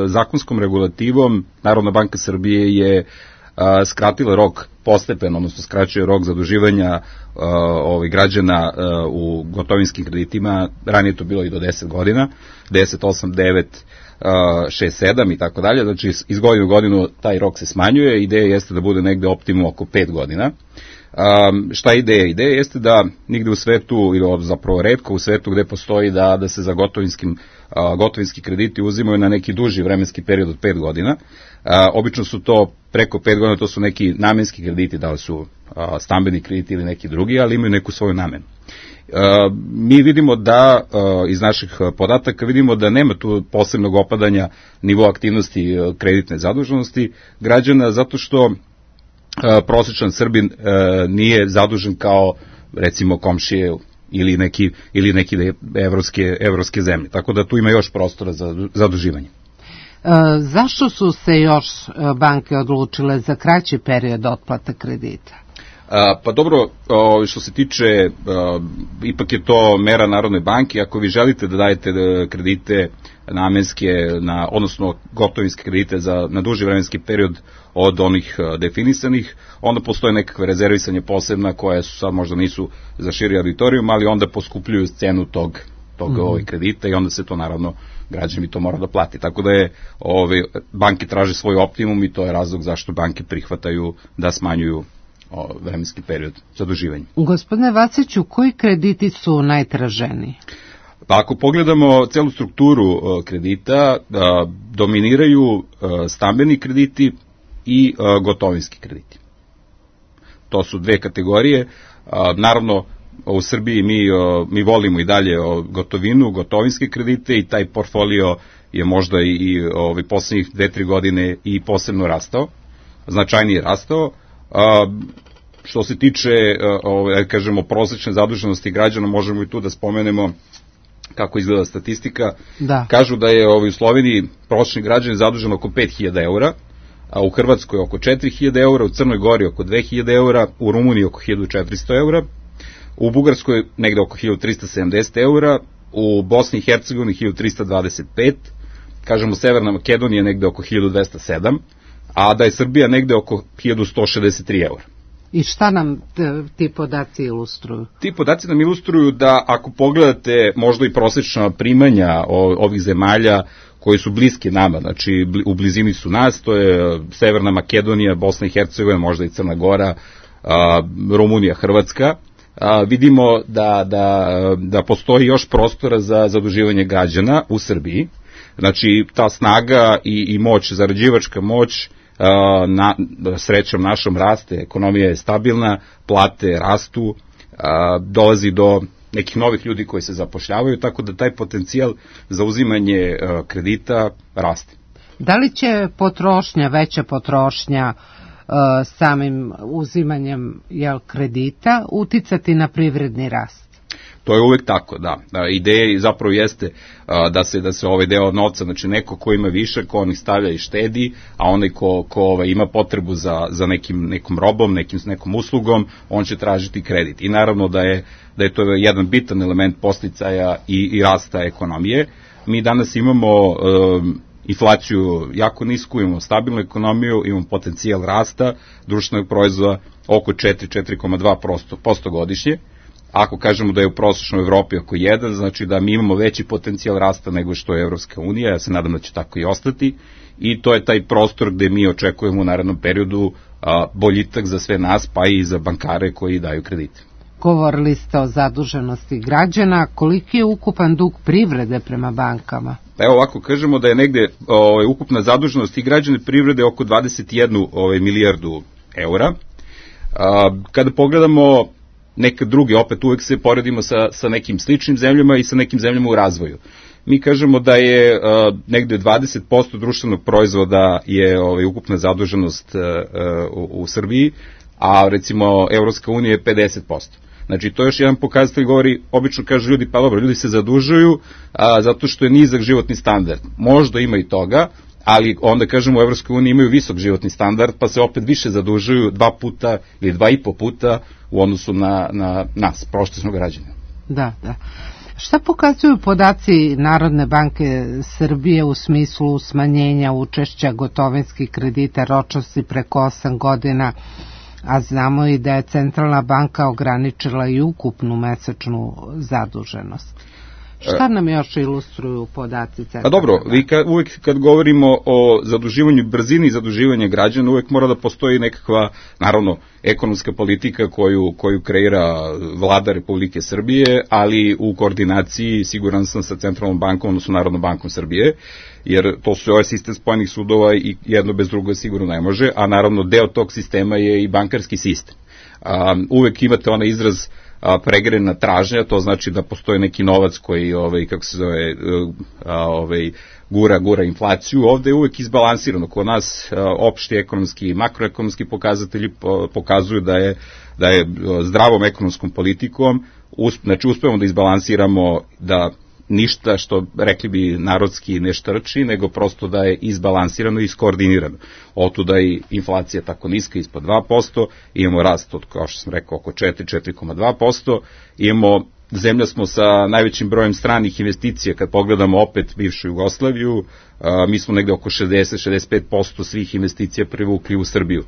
zakonskom regulativom Narodna banka Srbije je a, skratila rok postepeno, odnosno skraćuje rok zaduživanja ovih građana a, u gotovinskim kreditima. Ranije to bilo i do deset godina, deset, osam, devet, šest, sedam i tako dalje. Znači iz godine u godinu taj rok se smanjuje. Ideja jeste da bude negde optimum oko pet godina. Um, šta je ideja? Ideja jeste da nigde u svetu, ili zapravo retko u svetu gde postoji da, da se za gotovinskim, uh, gotovinski krediti uzimaju na neki duži vremenski period od pet godina. Uh, obično su to preko pet godina, to su neki namenski krediti, da li su uh, stambeni krediti ili neki drugi, ali imaju neku svoju namenu. Uh, mi vidimo da, uh, iz naših podataka, vidimo da nema tu posebnog opadanja nivoa aktivnosti uh, kreditne zaduženosti građana, zato što Uh, prosječan Srbin uh, nije zadužen kao, recimo, komšije ili neki, ili neki evropske, evropske zemlje. Tako da tu ima još prostora za zaduživanje. E, zašto su se još banke odlučile za kraći period otplate kredita? A, pa dobro, o, što se tiče, o, ipak je to mera Narodne banke. Ako vi želite da dajete kredite namenske, na, odnosno gotovinske kredite za, na duži vremenski period od onih definisanih, onda postoje nekakve rezervisanje posebna koje su sad možda nisu za širi auditorijum, ali onda poskupljuju cenu tog, tog mm-hmm. ovih kredita i onda se to naravno građani to mora da plati. Tako da je ove, banke traže svoj optimum i to je razlog zašto banke prihvataju da smanjuju o, vremenski period zaduživanja. Gospodine Vasiću, koji krediti su najtraženiji? Pa ako pogledamo celu strukturu o, kredita, a, dominiraju a, stambeni krediti i a, gotovinski krediti. To su dve kategorije. A, naravno, u Srbiji mi, a, mi volimo i dalje o, gotovinu, gotovinske kredite i taj portfolio je možda i, i ovi poslednjih dve, tri godine i posebno rastao, značajnije rastao. A, što se tiče, a, kažemo, prosečne zaduženosti građana, možemo i tu da spomenemo kako izgleda statistika. Da. Kažu da je u Sloveniji prosječni građan zadužen oko pet hiljada eura, a u Hrvatskoj oko četiri hiljade eura, u Crnoj Gori oko dve hiljade eura, u Rumuniji oko hiljadu četiristo eura, u Bugarskoj negde oko hiljadu trista sedamdeset eura, u Bosni i Hercegovini hiljadu trista dvadeset pet, kažemo Severna Makedonija negde oko hiljadu dvesta sedam, a da je Srbija negde oko hiljadu sto šezdeset tri eura. I šta nam ti podaci ilustruju? Ti podaci nam ilustruju da ako pogledate možda i prosječna primanja ovih zemalja koji su bliske nama, znači u blizini su nas, to je Severna Makedonija, Bosna i Hercegovina, možda i Crna Gora, Rumunija, Hrvatska, vidimo da, da, da postoji još prostora za zaduživanje građana u Srbiji. Znači ta snaga i, i moć, zarađivačka moć, na, srećom našom raste, ekonomija je stabilna, plate rastu, a, dolazi do nekih novih ljudi koji se zapošljavaju, tako da taj potencijal za uzimanje a, kredita raste. Da li će potrošnja, veća potrošnja a, samim uzimanjem jel, kredita uticati na privredni rast? To je uvek tako, da. Ideja zapravo jeste a, da se da se ovaj deo novca, znači neko ko ima više, ko onih stavlja i štedi, a onaj ko, ko ovaj, ima potrebu za, za nekim, nekom robom, nekim, nekom uslugom, on će tražiti kredit. I naravno da je, da je to jedan bitan element podsticaja i, i rasta ekonomije. Mi danas imamo um, inflaciju jako nisku, imamo stabilnu ekonomiju, imamo potencijal rasta društvenog proizvoda oko četiri, četiri zarez dva posto godišnje. ako kažemo da je u prosječnoj Evropi oko jedan, znači da mi imamo veći potencijal rasta nego što je Evropska unija, ja se nadam da će tako i ostati, i to je taj prostor gde mi očekujemo u narednom periodu a, boljitak za sve nas, pa i za bankare koji daju kredite. Govorili ste o zaduženosti građana, koliki je ukupan dug privrede prema bankama? Evo ovako, kažemo da je negde ovaj, ukupna zaduženost i građane privrede oko dvadeset jednu ovaj, milijardu eura. A, kada pogledamo neke druge, opet uvek se poredimo sa, sa nekim sličnim zemljama i sa nekim zemljama u razvoju. Mi kažemo da je a, negde dvadeset posto društvenog proizvoda je ovaj, ukupna zaduženost a, a, u, u Srbiji, a recimo Evropska unija je pedeset posto. Znači, to je još jedan pokazatelj, govori, obično kažu ljudi, pa dobro, ljudi se zadužuju a, zato što je nizak životni standard. Možda ima i toga, ali onda kažemo u Evropskoj uniji imaju visok životni standard, pa se opet više zadužuju dva puta ili dva i po puta u odnosu na, na nas, prosječnog građana. Da, da. Šta pokazuju podaci Narodne banke Srbije u smislu smanjenja učešća gotovinskih kredita ročnosti preko osam godina, a znamo i da je Centralna banka ograničila i ukupnu mesečnu zaduženost? Šta nam još ilustruju podaci Centralne banke? A dobro, vi ka, uvek kad govorimo o zaduživanju, brzini zaduživanja građana, uvek mora da postoji nekakva, naravno, ekonomska politika koju, koju kreira vlada Republike Srbije, ali u koordinaciji, siguran sam, sa Centralnom bankom, odnosno Narodnom bankom Srbije, jer to su ovaj sistem spojenih sudova i jedno bez drugo sigurno ne može, a naravno deo tog sistema je i bankarski sistem. Um, uvek imate onaj izraz a, pregrena tražnja, to znači da postoji neki novac koji, ovaj, kako se zove, a, ovaj, gura, gura inflaciju. Ovde je uvek izbalansirano. Kod nas a, opšti ekonomski i makroekonomski pokazatelji po, pokazuju da je, da je zdravom ekonomskom politikom, usp, znači uspevamo da izbalansiramo, da ništa što rekli bi narodski ne štrči, nego prosto da je izbalansirano i iskoordinirano. Otuda i inflacija tako niska, ispod dva posto, imamo rast od, kao što sam rekao, oko četiri, četiri zarez dva posto, imamo, zemlja smo sa najvećim brojem stranih investicija, kad pogledamo opet bivšu Jugoslaviju, a, mi smo negde oko šezdeset do šezdeset pet posto svih investicija privukli u Srbiju.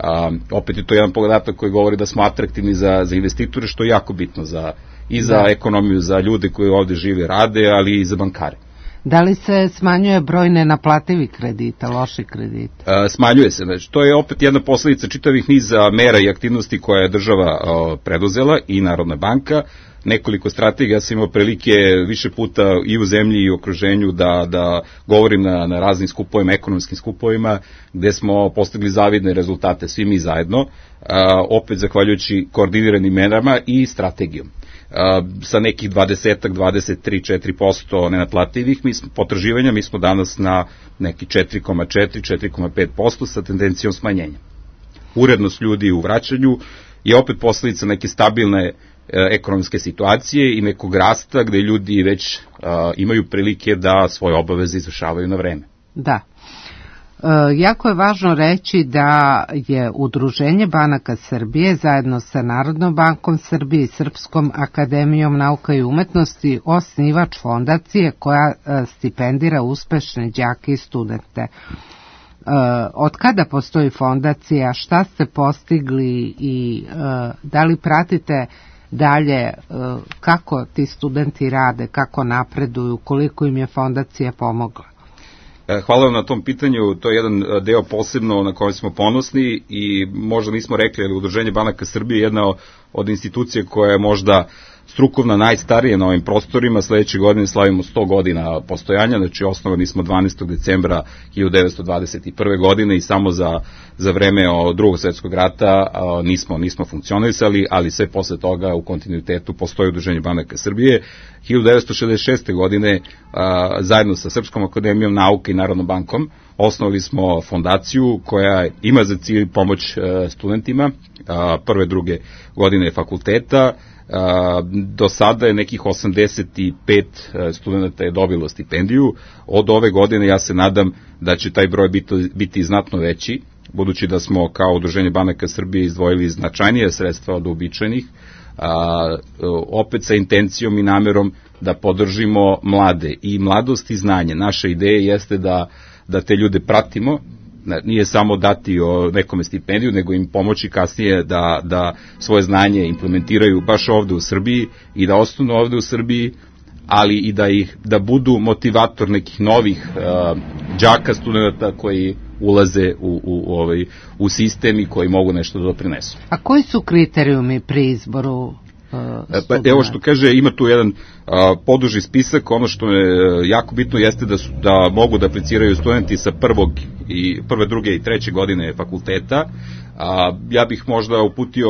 A, opet je to jedan podatak koji govori da smo atraktivni za, za investitore, što je jako bitno za i za da. ekonomiju, za ljude koji ovde žive, rade, ali i za bankare. Da li se smanjuje broj nenaplativih kredita, loših kredita? E, smanjuje se. Znači, to je opet jedna posledica čitavih niza mera i aktivnosti koje je država o, preduzela i Narodna banka. Nekoliko strategija, ja sam imao prilike više puta i u zemlji i u okruženju da, da govorim na, na raznim skupovima, ekonomskim skupovima, gde smo postigli zavidne rezultate, svi mi zajedno, a, opet zahvaljujući koordiniranim merama i strategijom. Uh, sa nekih dvadeset, dvadeset tri, četiri posto nenaplativih mi smo, potraživanja, mi smo danas na neki četiri zarez četiri, četiri zarez pet posto sa tendencijom smanjenja. Urednost ljudi u vraćanju je opet posledica neke stabilne uh, ekonomske situacije i nekog rasta gde ljudi već uh, imaju prilike da svoje obaveze izvršavaju na vreme. Da. E, jako je važno reći da je Udruženje banaka Srbije zajedno sa Narodnom bankom Srbije i Srpskom akademijom nauka i umetnosti osnivač fondacije koja e, stipendira uspešne đake i studente. E, od kada postoji fondacija, šta ste postigli i e, da li pratite dalje e, kako ti studenti rade, kako napreduju, koliko im je fondacija pomogla? Hvala vam na tom pitanju, to je jedan deo posebno na kojem smo ponosni i možda nismo rekli, ali Udruženje banaka Srbije je jedna od institucija koja je možda strukovna najstarija na ovim prostorima. Sledeće godine slavimo sto godina postojanja, znači osnovani smo dvanaestog decembra hiljadu devetsto dvadeset prve. godine i samo za, za vreme o drugog svjetskog rata a, nismo, nismo funkcionisali, ali sve posle toga u kontinuitetu postoji Udruženje banaka Srbije. hiljadu devetsto šezdeset šeste. godine a, zajedno sa Srpskom akademijom nauke i Narodnom bankom osnovali smo fondaciju koja ima za cilj pomoć a, studentima a, prve, druge godine fakulteta. Uh, do sada je nekih osamdeset pet studenta je dobilo stipendiju. Od ove godine ja se nadam da će taj broj biti, biti znatno veći, budući da smo kao Udruženje banaka Srbije izdvojili značajnije sredstva od uobičajenih, uh, opet sa intencijom i namerom da podržimo mlade i mladost i znanje. Naša ideja jeste da, da te ljude pratimo nije samo dati o nekome stipendiju, nego im pomoći kasnije da, da svoje znanje implementiraju baš ovde u Srbiji i da ostanu ovde u Srbiji, ali i da ih da budu motivator nekih novih uh, đaka, studenta koji ulaze u, u, u, ovaj, u sistem i koji mogu nešto da doprinesu. A koji su kriterijumi pri izboru uh, pa, evo što kaže, ima tu jedan uh, poduži spisak. Ono što je jako bitno jeste da, su, da mogu da apliciraju studenti sa prvog i prve, druge i treće godine fakulteta. Uh, ja bih možda uputio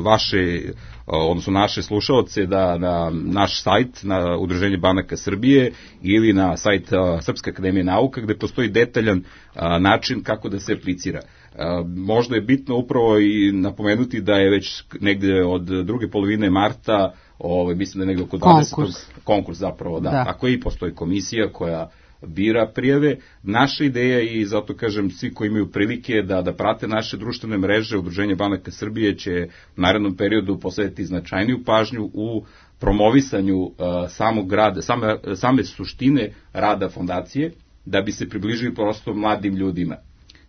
vaše odnosno naše slušalce da na naš sajt, na Udruženje banaka Srbije ili na sajt a, Srpske akademije nauka, gde postoji detaljan a, način kako da se aplicira. A, možda je bitno upravo i napomenuti da je već negde od druge polovine marta, ovaj, mislim da je negde oko dvadesetog Konkurs. Konkurs zapravo, da. da. Tako i postoji komisija koja bira prijave. Naša ideja i zato kažem svi koji imaju prilike da da prate naše društvene mreže, Udruženje banaka Srbije će u narednom periodu posvetiti značajniju pažnju u promovisanju uh, samog rada, same, same suštine rada fondacije, da bi se približili prosto mladim ljudima.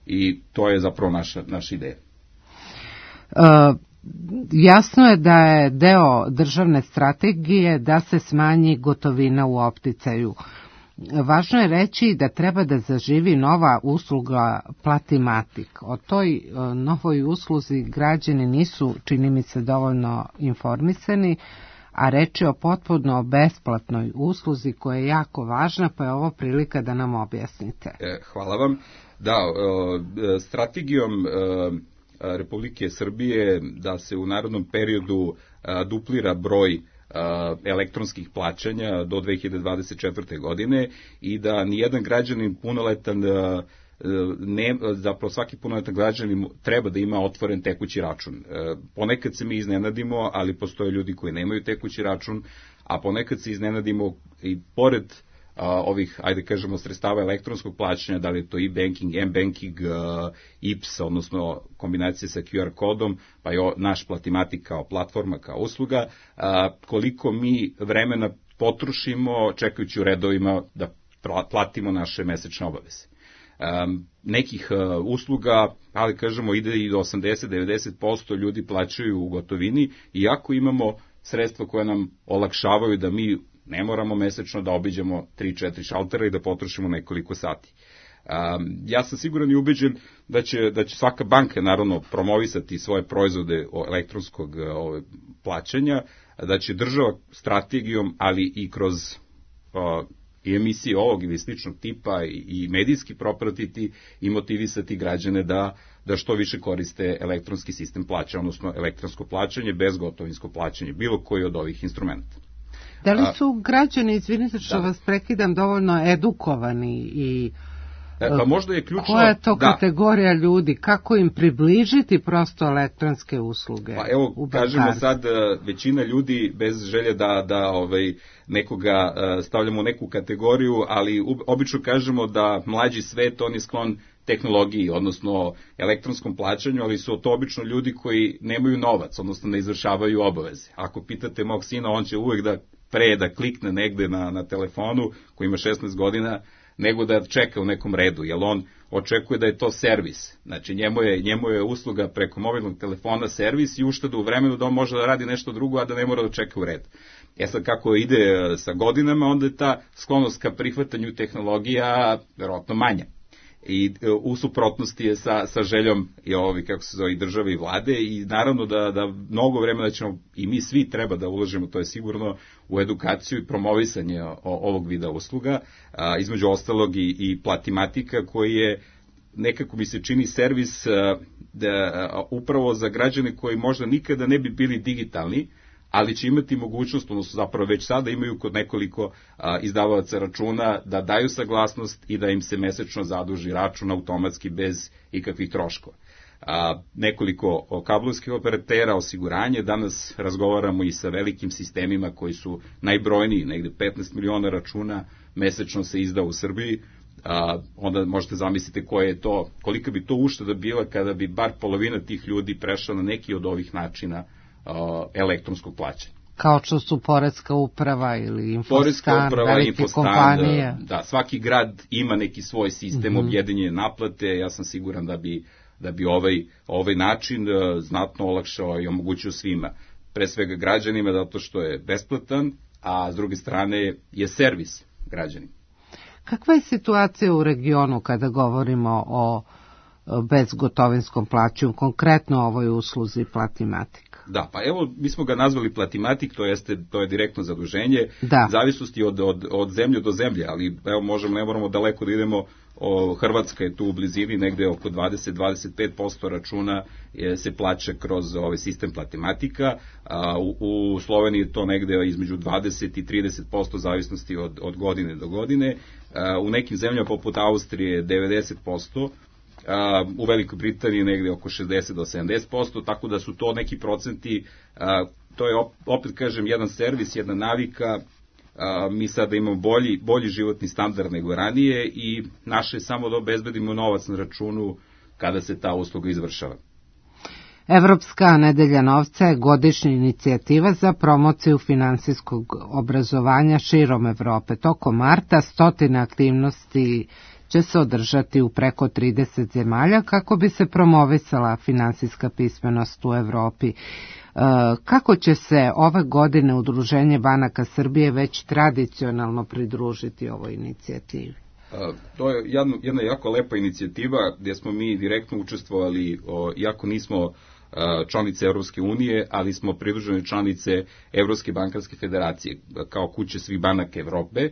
I to je zapravo naša, naša ideja. Uh... Jasno je da je deo državne strategije da se smanji gotovina u opticaju. Važno je reći da treba da zaživi nova usluga Platimatik. O toj novoj usluzi građani nisu, čini mi se, dovoljno informisani, a reč je o potpuno besplatnoj usluzi koja je jako važna, pa je ovo prilika da nam objasnite. Hvala vam. Da, strategijom Republike Srbije da se u narednom periodu duplira broj elektronskih plaćanja do dve hiljade dvadeset četvrte. godine i da nijedan građanin punoletan, ne, zapravo svaki punoletan građanin treba da ima otvoren tekući račun. Ponekad se mi iznenadimo, ali postoje ljudi koji nemaju tekući račun, a ponekad se iznenadimo i pored Uh, ovih, ajde kažemo, sredstava elektronskog plaćanja, da li je to e-banking, m-banking, uh, I P S, odnosno kombinacije sa Q R kodom, pa je naš Platimatik kao platforma, kao usluga, uh, koliko mi vremena potrošimo čekajući u redovima da platimo naše mesečne obaveze. Um, nekih uh, usluga, ali kažemo, ide i do osamdeset do devedeset posto ljudi plaćaju u gotovini, iako imamo sredstva koje nam olakšavaju da mi ne moramo mesečno da obiđemo tri četiri šaltera i da potrošimo nekoliko sati. Um, ja sam siguran i ubeđen da će, da će svaka banka naravno promovisati svoje proizvode elektronskog ove, plaćanja, da će država strategijom, ali i kroz uh, i emisije ovog ili sličnog tipa i, i medijski propratiti i motivisati građane da, da što više koriste elektronski sistem plaćanja, odnosno elektronsko plaćanje, bezgotovinsko plaćanje, bilo koji od ovih instrumenta. Da li su građani, izvinite što da. vas prekidam, dovoljno edukovani i e, pa možda je ključno, koja je to da. kategorija ljudi, kako im približiti prosto elektronske usluge? Pa evo, kažemo sad, većina ljudi bez želje da, da ovaj, nekoga stavljamo u neku kategoriju, ali obično kažemo da mlađi svet, on je sklon tehnologiji, odnosno elektronskom plaćanju, ali su to obično ljudi koji nemaju novac, odnosno ne izvršavaju obaveze. Ako pitate mog sina, on će uvek da pre da klikne negde na, na telefonu, koji ima šesnaest godina, nego da čeka u nekom redu, jer on očekuje da je to servis. Znači, njemu je, njemu je usluga preko mobilnog telefona servis i ušteda u vremenu da on može da radi nešto drugo, a da ne mora da čeka u red. E sad, kako ide sa godinama, onda je ta sklonost ka prihvatanju tehnologija verovatno manja. I u suprotnosti je sa, sa željom i ovi, kako se zove, i države i vlade i naravno da, da mnogo vremena ćemo i mi svi treba da uložimo, to je sigurno, u edukaciju i promovisanje o, ovog vida usluga, a, između ostalog i, i Platimatika koji je nekako mi se čini servis a, da, a, upravo za građane koji možda nikada ne bi bili digitalni, ali će imati mogućnost, odnosno zapravo već sada imaju kod nekoliko a, izdavaoca računa da daju saglasnost i da im se mesečno zaduži račun automatski bez ikakvih troškova. A, nekoliko kablovskih operatera, osiguranje, danas razgovaramo i sa velikim sistemima koji su najbrojniji, negde petnaest miliona računa mesečno se izda u Srbiji, a, onda možete zamisliti koje je to, kolika bi to ušteda bila kada bi bar polovina tih ljudi prešla na neki od ovih načina elektronskog plaćanja. kao što su Poreska uprava ili Infostan, uprava, velike Infostan, kompanije. Da, da, svaki grad ima neki svoj sistem Mm-hmm. objedinjene naplate. Ja sam siguran da bi, da bi ovaj, ovaj način uh, znatno olakšao i omogućio svima. Pre svega građanima, zato što je besplatan, a s druge strane je servis građanima. Kakva je situacija u regionu kada govorimo o bezgotovinskom plaćanju, konkretno o ovoj usluzi Platimatik? Da, pa evo, mi smo ga nazvali Platimatik, to jeste, to je direktno zaduženje, da. Zavisnosti od, od, od zemlje do zemlje, ali evo, možemo, ne moramo daleko da idemo, o, Hrvatska je tu u blizini, negde oko dvadeset do dvadeset pet posto računa je, se plaća kroz ovaj sistem Platimatika, a u, u Sloveniji je to negde između dvadeset i trideset posto zavisnosti od, od godine do godine, a, u nekim zemljama poput Austrije devedeset posto, Uh, u Velikoj Britaniji negde oko šezdeset do sedamdeset posto, tako da su to neki procenti, uh, to je opet kažem jedan servis, jedna navika, uh, mi sada imamo bolji, bolji životni standard nego ranije i naše je samo da obezbedimo novac na računu kada se ta usluga izvršava. Evropska nedelja novca je godišnja inicijativa za promociju finansijskog obrazovanja širom Evrope. Tokom marta stotine aktivnosti će se održati u preko trideset zemalja kako bi se promovisala finansijska pismenost u Evropi. E, kako će se ove godine Udruženje banaka Srbije već tradicionalno pridružiti ovoj inicijativi? Uh, to je jedna, jedna jako lepa inicijativa gdje smo mi direktno učestvovali, o, iako nismo uh, članice Evropske unije, ali smo pridružene članice Evropske bankarske federacije kao kuće svih banaka Evrope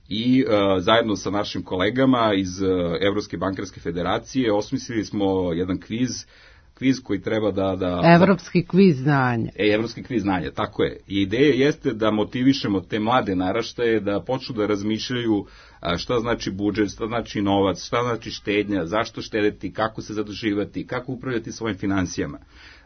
i uh, zajedno sa našim kolegama iz uh, Evropske bankarske federacije osmislili smo jedan kviz, kviz koji treba da... da Evropski kviz znanja. E, Evropski kviz znanja, tako je. I ideja jeste da motivišemo te mlade naraštaje da počnu da razmišljaju šta znači budžet, šta znači novac, šta znači štednja, zašto štedeti, kako se zaduživati, kako upravljati svojim finansijama.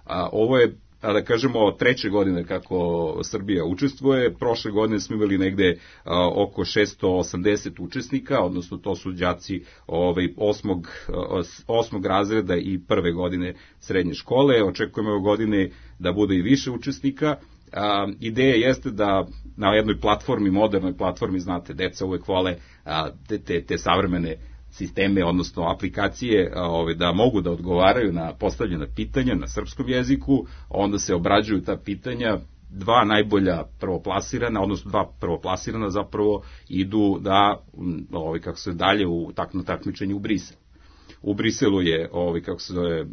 A, ovo je, da kažemo, treće godine kako Srbija učestvuje. Prošle godine smo imali negde a, oko šesto osamdeset učesnika, odnosno to su đaci ovaj, osmog, osmog razreda i prve godine srednje škole. Očekujemo ove godine da bude i više učesnika. A, ideja jeste da na jednoj platformi, modernoj platformi, znate, deca uvek vole a, te, te, te savremene sisteme, odnosno aplikacije, a, ove, da mogu da odgovaraju na postavljena pitanja na srpskom jeziku, onda se obrađuju ta pitanja, dva najbolja prvoplasirana, odnosno dva prvoplasirana zapravo idu da, ove, kako se dalje u takno takmičenju u Brisel. U Briselu je, ove, kako se zove,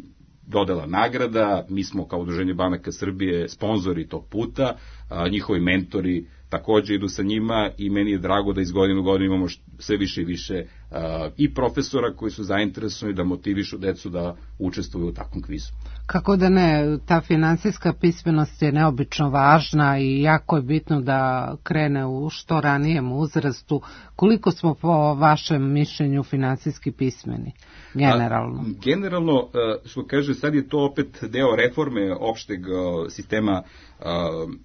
dodala nagrada, mi smo kao Udruženje banaka Srbije sponzori tog puta, a, njihovi mentori takođe idu sa njima i meni je drago da iz godine u godinu imamo sve više i više a, i profesora koji su zainteresovani da motivišu decu da učestvuju u takvom kvizu. Kako da ne, ta finansijska pismenost je neobično važna i jako je bitno da krene u što ranijem uzrastu. Koliko smo po vašem mišljenju finansijski pismeni, generalno? A, generalno, što kaže, sad je to opet deo reforme opšteg sistema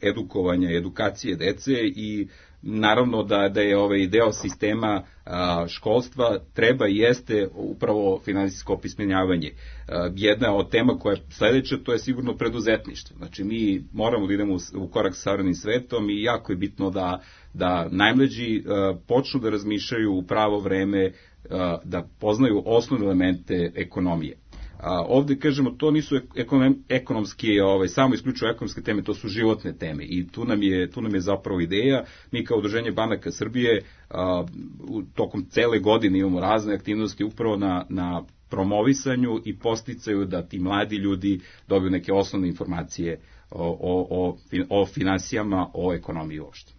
edukovanja, edukacije dece i naravno da, da je ovaj deo sistema a, školstva treba i jeste upravo finansijsko opismenjavanje. A, jedna od tema koja je sledeća, to je sigurno preduzetništvo. Znači mi moramo da idemo u, u korak sa savremenim svetom i jako je bitno da, da najmlađi a, počnu da razmišljaju u pravo vreme, a, da poznaju osnovne elemente ekonomije. A, ovde, kažemo, to nisu ekonom, ekonomski, ovaj, samo isključivo ekonomske teme, to su životne teme i tu nam je, tu nam je zapravo ideja. Mi kao Udruženje banaka Srbije a, u, tokom cele godine imamo razne aktivnosti upravo na, na promovisanju i posticaju da ti mladi ljudi dobiju neke osnovne informacije o, o, o, o finansijama, o ekonomiji uopšte.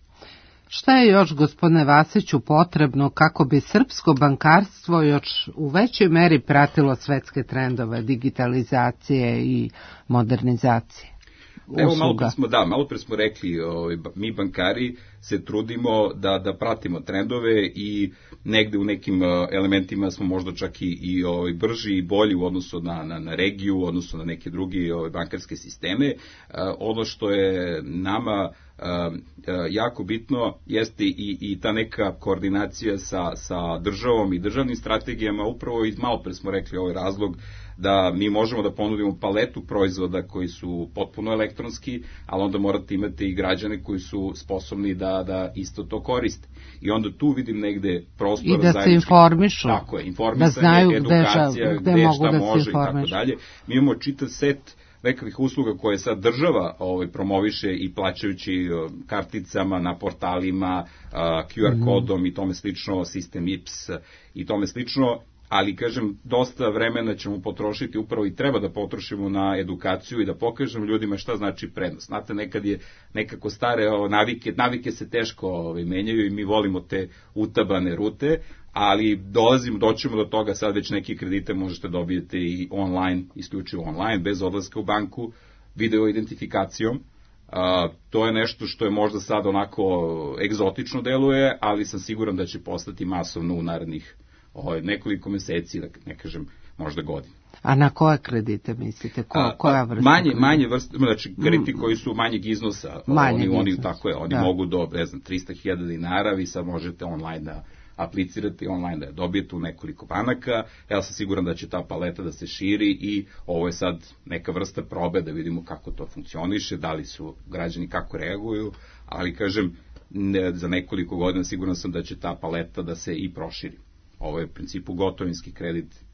Šta je još, gospodine Vasiću, potrebno kako bi srpsko bankarstvo još u većoj meri pratilo svetske trendove digitalizacije i modernizacije usluga? Evo, malo pre smo, da, malo pre smo rekli, ovaj, mi bankari se trudimo da, da pratimo trendove i negde u nekim elementima smo možda čak i, i ovaj, brži i bolji u odnosu na, na, na regiju, u odnosu na neke drugi ovaj, bankarske sisteme. Ono što je nama jako bitno jeste i, i ta neka koordinacija sa, sa državom i državnim strategijama, upravo i malo pre smo rekli ovaj razlog da mi možemo da ponudimo paletu proizvoda koji su potpuno elektronski, ali onda morate imati i građane koji su sposobni da, da isto to koriste. I onda tu vidim negde prostor i da se informišu, tako je, informisanje, da znaju edukacija, gde, gde šta da može i tako dalje. Mi imamo čitav set nekakvih usluga koje sad država ovaj, promoviše i plaćajući karticama na portalima, Q R kodom mm. i tome slično, sistem I P S i tome slično, ali kažem, dosta vremena ćemo potrošiti upravo i treba da potrošimo na edukaciju i da pokažemo ljudima šta znači prednost. Znate, nekad je nekako stare o, navike, navike se teško ovaj, menjaju i mi volimo te utabane rute, ali dolazimo, doćemo do toga, sad već neke kredite možete dobijete i online, isključivo online, bez odlaska u banku, video identifikacijom. Uh, to je nešto što je možda sad onako egzotično deluje, ali sam siguran da će postati masovno u narednih ovaj, nekoliko meseci, da ne kažem možda godina. A na koje kredite mislite? Ko, A, koja vrsta? Manje, manje vrste, znači krediti mm. koji su manjeg iznosa, manjeg oni, iznosa. Oni, tako je, oni da. mogu do, ne znam, trista hiljada dinara, vi sad možete online da aplicirati, online da je dobijete u nekoliko banaka. Ja sam siguran da će ta paleta da se širi i ovo je sad neka vrsta probe da vidimo kako to funkcioniše, da li su građani kako reaguju, ali kažem, ne, za nekoliko godina siguran sam da će ta paleta da se i proširi. Ovo je u principu gotovinski kredit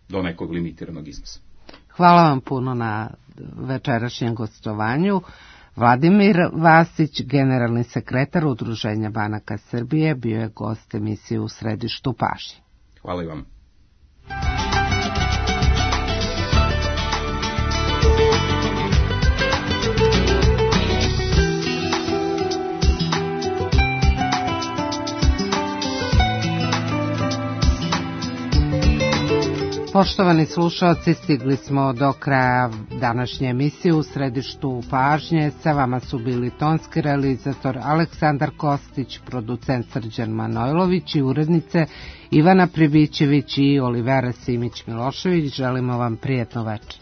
do nekog limitiranog iznosa. Hvala vam puno na večerašnjem gostovanju. Vladimir Vasić, generalni sekretar Udruženja banaka Srbije, bio je gost emisije U središtu pažnje. Hvala i vam. Poštovani slušalci, stigli smo do kraja današnje emisije U središtu pažnje. Sa vama su bili tonski realizator Aleksandar Kostić, producent Srđan Manojlović i urednice Ivana Pribićević i Olivera Simić-Milošević. Želimo vam prijetno večer.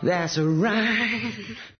That's a rhyme.